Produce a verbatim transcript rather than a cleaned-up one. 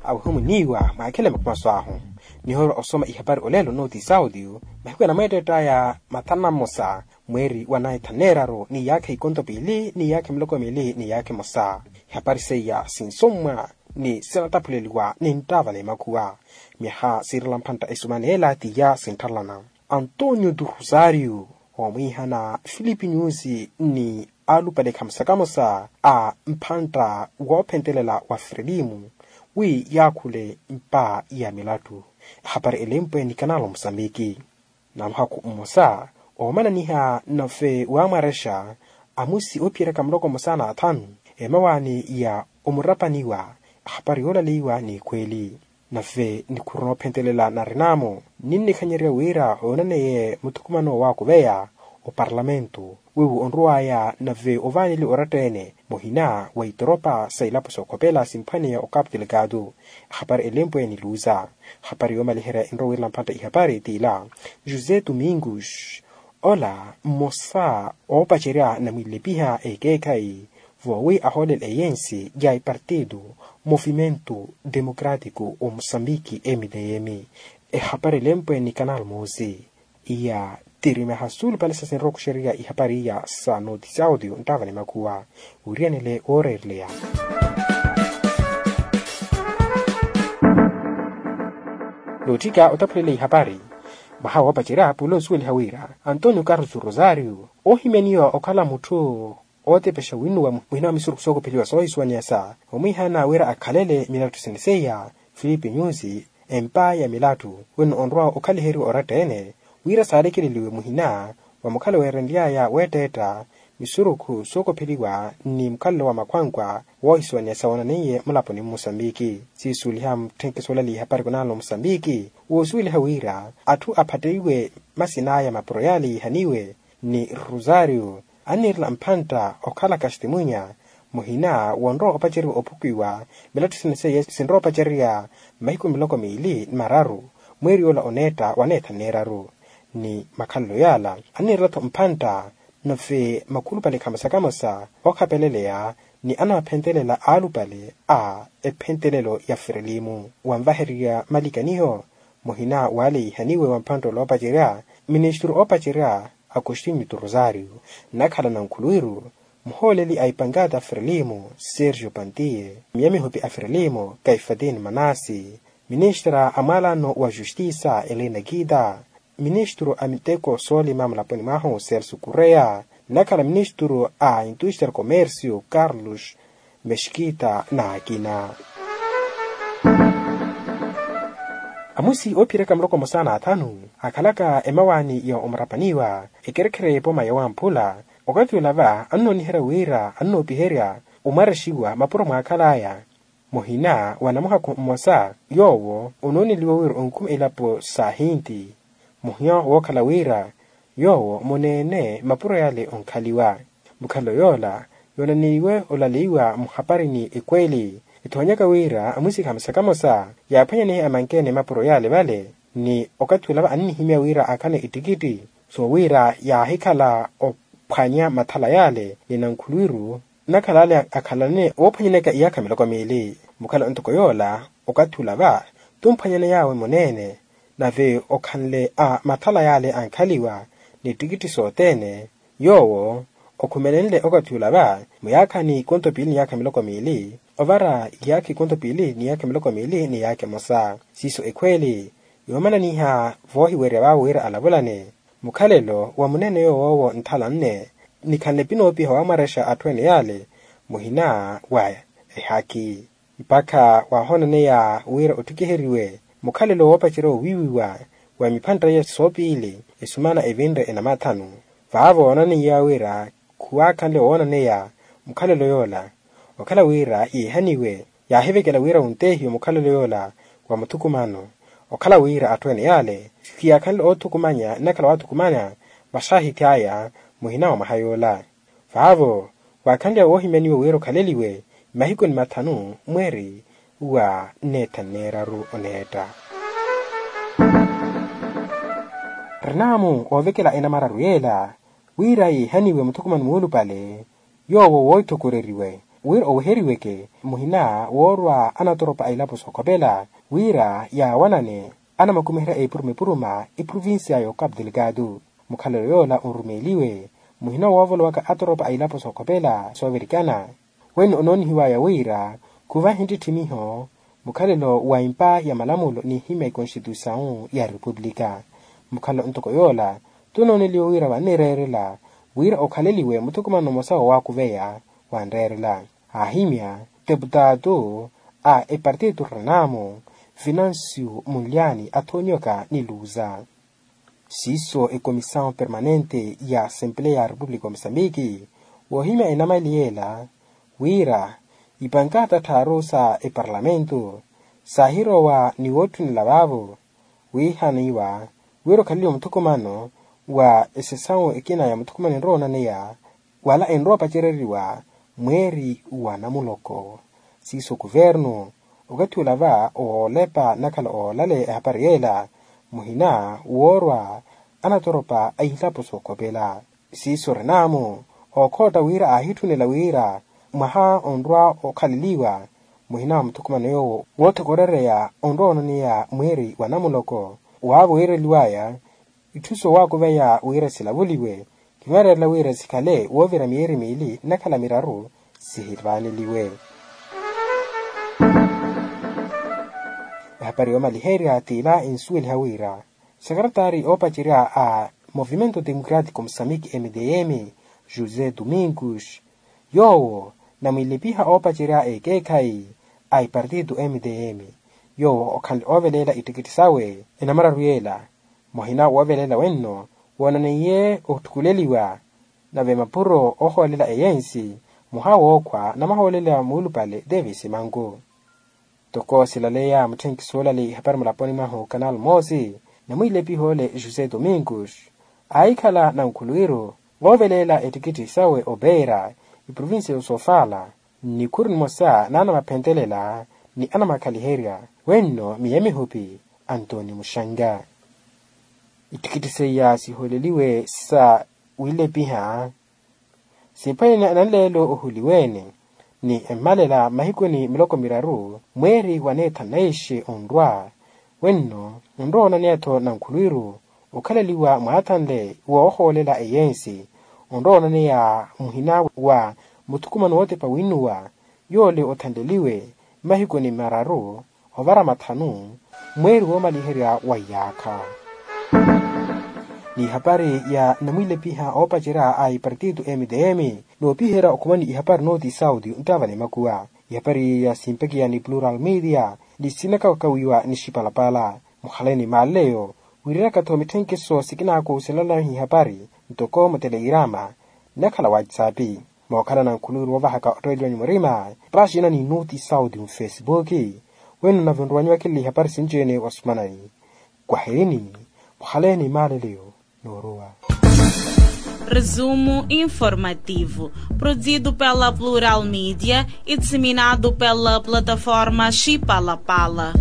Awehumuniiwa mwakhele makumaso ahu. Nihoorwa osoma ihapari olelo nooti saudio mahiku enamweetteett'aya mathanu na mmosa mweeri wa naitha neeraru ni yaakha ikonto piili ni yaakha miloko miili ni yaakha emosa. Ihapari seiya sinsommwa ni sinataphuleliwa ni nttaava n'emakhuwa. Myaha siirela mphantta esumana ela tiya sintthalana. Antonio tu rosario omwiihana filipi nyusi ni alupale khamosa khamosa a mphantta woophentelela wa frelimu wi yaakhule mpa ya milattu. Ehapari elempwe ni kanalo musambiki. Na muhakhu mmosa oomananiha nave waamwarexa amusi oophiyeraka muloko mmosa na athanu emawaani ya omurapaniwa. Ehapari yoolaleiwa ni ekhweeli. Nave nikhuru noophentelela narin'amo ninnikhanyerya wira oonaneye muthukumano waakuveya oparlamento wiwo onruwaya nave ovaaneliwa oratta-ene muhina wa itoropa sa ilapo sookhopela simphwaneya okapu delegado. Ehapari elempwe niluuza. Ehapari yoomaliherya enrowa wirela mphantta ihapari t'ila josé domingos ola mmosa oopacerya namwilepiha ekeekhayi voowi ahoolela eyensi ya ipartido movimento democratico o musambiki mdm. Ehapari elempwe ni kanal moosi iya tirimeha suulupale sa sinrowa okuxerya ihapari iya sa nooti saudio nttaava ni makhuwa. Wiriyanele wooreereleya nootthika otaphulele ihapari. Mwaha woopacerya pula osuweliha wira antonio carlos rosario oohimyaniwa okhala mutthu ootepexa winnuwa muhina wa misurukhu sookopheliwa soohisuwaniyasa omwiihana wira akhalele milattu sene seiya filipi nyusi empa ya milattu wino onrowa okhaliheriwa oratta-ene wira saalekeleliwe muhina wa mukhala weerenly'aya weetteetta misurukhu sookopheliwa ni mukhalelo wa makhwankwa woohisuwaniyasa woonaneiye mulaponi mmusambiki. Siisuweliha mutthenke soolaliha ehapari kunanlo musambiki woosuweliha wira atthu aphatteiwe masin'aya mapuro yaale yiihaniwe ni rosario anniirela mphantta okhala kastimunya muhina wonrowa opaceriwa ophukiwa milattu sene seiye sinrowa opacerya mahiku miloko miili ni mararu mweeri yoola oneetta wa neetha neeraru ni makhalelo yaala anniirela-tho mphantta nave makhulupale khamosa khamosa ookhapeleleya ni anawaphentelela aalupale a ephentelelo ya frelimu wanvahererya malikaniho muhina waale yiihaniwe wa mphantta oloopacerya ministru oopacerya agostinho tu rosario nnakhala nankhuluwiru muhooleli a ipankata frelimu sergio pantiye miyamihopi a frelimu kaifatini manasi ministra a mwaalano wa justisa elina kita ministru a miteko soolima mulaponi mwahu celso kureya nnakhala ministru a intuster commercio carlos mexkita n'akina. Amusi oophiyeraka muloko mmosa n'athanu akhalaka emawaani ya omurapaniwa ekerekhere y'epooma ya wamphula okathi olava annooniherya wira annoopiherya omwarexiwa mapuro mwaakhal'aya muhina wa namuhakhu mmosa yoowo onooneliwa wira onkhuma elapo sa ahinti muhina wookhala wira yoowo muneene mapuro yale onkhaliwa mukhalelo yoola yoonaneiwe olaleiwa muhaparini ekweli ethoonyaka wira amusi khamosa khamosa yaaphwanyanehe amankeene mapuro yale vale ni okathi olava annihimya wira akhane ettikitti soowira yaahikhala ophwanya mathala yale ni nankhuluwiru nnakhala ale akhalane woophwanyaneyaka iyaakha miloko miili mukhala ntoko yoola okathi olava tumphwanyaney'awe muneene nave okhanle a mathala yale ankhaliwa ni ttikitthi sothene yoowo okhumelenle okathi olava muyaakhani konto piili ni yaakha miloko miili ovara iyaakha ikonto piili ni yaakha miloko miili ni yaakha emosa siiso ekhweeli yoomananiha voohiwerya vaawe wira alavulane mukhalelo wa muneene yoowo nthala nne nikhanle pinoopiha waamwarexa atthu ene yale muhina wa ehaki mpakha waahoonaneya wira ottikiheriwe mukhalelo woopacerya owiiwiwa wa miphantta iya soopiili esumana evinre enamathanu vaavo oonaneiya wira khuwaakhanle woonaneya mukhalelo yoola okhala wira yeehaniwe yaahivekela wira wunteehiwe mukhalelo yoola wa muthukumano okhala wira atthu ene yale khiyaakhanle oothukumanya nnakhala waathukumanya vaxaahithi aya muhina wa mwaha yoola vaavo waakhanle woohimyaniwa wira okhaleliwe mahiku ni mathanu mweeri wa neetha neeraru oneetta rinaamu oovekela enamararu yeela wira yeehaniwe muthukumano muulupale yoowo wooithokoreriwe wira oweheriweke muhina woorwa anatoropa a ilapo sookhopela wira yaawanane anamakumiherya epuruma epuruma eprovincia y'okapu delgado. Mukhalelo yoola onrumeeliwe muhina woovolowaka atoropa a ilapo sookhopela soovirikana. Wene onoonihiwaya wira khuvahe ntitthimiho mukhalelo wa empa ya malamulo n'ihimya ekonstituisawu ya repupulika. Mukhalelo ntoko yoola tunooneliwe wira vannireerela wira okhaleliwe muthukumano mmosa woowakuveya wanreerela. Aahimya teputaatu a epartito renamu financio munlyani athonyoka ni luza. Siiso ecomisaw permanente ya assempleya ya repupulika wa mosambiki woohimya enamali yeela wira ipankaata tthaaru sa eparlamentu saahirowa ni wootthunela vaavo wiihaniwa wira okhaleliwe muthukumano wa esesawu ekina ya muthukumano enrowa onaneya wala enrowa opacereriwa mweeri wa namuloko. Siiso kuvernu okathi olava oolepa nakhala oolale ehapari yeela muhina woorwa anatoropa a ilapo sookhopela. Siiso renamu ookhootta wira aahitthunela wira mwaha onrwa okhaleliwa muhina wa muthukumano yoowo woothokorereya onrwa onaneya mweeri wa namuloko waavo wiireliwaya itthu soowakuveya wira silavuliwe. Kinweereerela wira sikhale woovira miyeeri miili nnakhala miraru sihivaaneliwe. Ehapari yoomaliherya t'ila ensuweliha wira sekaretari oopacerya a movimento democratico mosamiki mdm josé domingos yoowo namwilepiha oopacerya ekeekhayi a epartito mdm yoowo okhanle ooveleela ittikitthi sawe enamararu yeela muhina woovelela wenno woonaneiye otthukuleliwa nave mapuro oohoolela eyensi muha wookhwa namahoolela muulupale davis manku. Toko silaleya mutthenki soolali ihapari mulaponi mwahu kanal moosi namwiilepiha ole josé domingos aahikhala nankhulwiru voovelela ettikitthi sawe opeera eprovincia y'osofala nnikhuru nimosa n'anamaphentelela ni anamakhaliherya wenno miya mihupi antoni muxanga. Ittikitthi seiya sihooleliwe sa wiilepiha simphwene nanleelo ohuliweene ni emmalela mmahikuni miloko miraru mweeri wa neethanu na ixe onrwa wenno onrowa onaneya-tho nankhulwiru okhaleliwa mwaathanle woohoolela eyensi onrowa onaneya muhina wa muthukumano wootepa winnuwa yoole othanleliwe mmahikuni mararu ovara mathanu mweeri woomaliherya wa iyaakha. N'ihapari ya namwiilepiha oopacerya a ipartito mdm noopiherya okhumani ihapari nooti sauti nttaavale makuwa ihapari ya simpakiya ni plural media ni sinakawakawiwa ni xipalapala mukhale ni maaleleyo wiiriraka-tho mitthenkeso sikinaakuuselelahi ihapari ntoko mutelegrama nnakhala whatsapp mookhala nankhuluwiru woovahaka ottoeliwanyu murima paxina ni nuti sauti mufesipuki wenu nave onruwanyu wakilili ihapari sinci-ene wa sumanani kwaherini mukhale ni maaleleyo. Noorowa. Resumo informativo produzido pela plural media e disseminado pela plataforma xipalapala.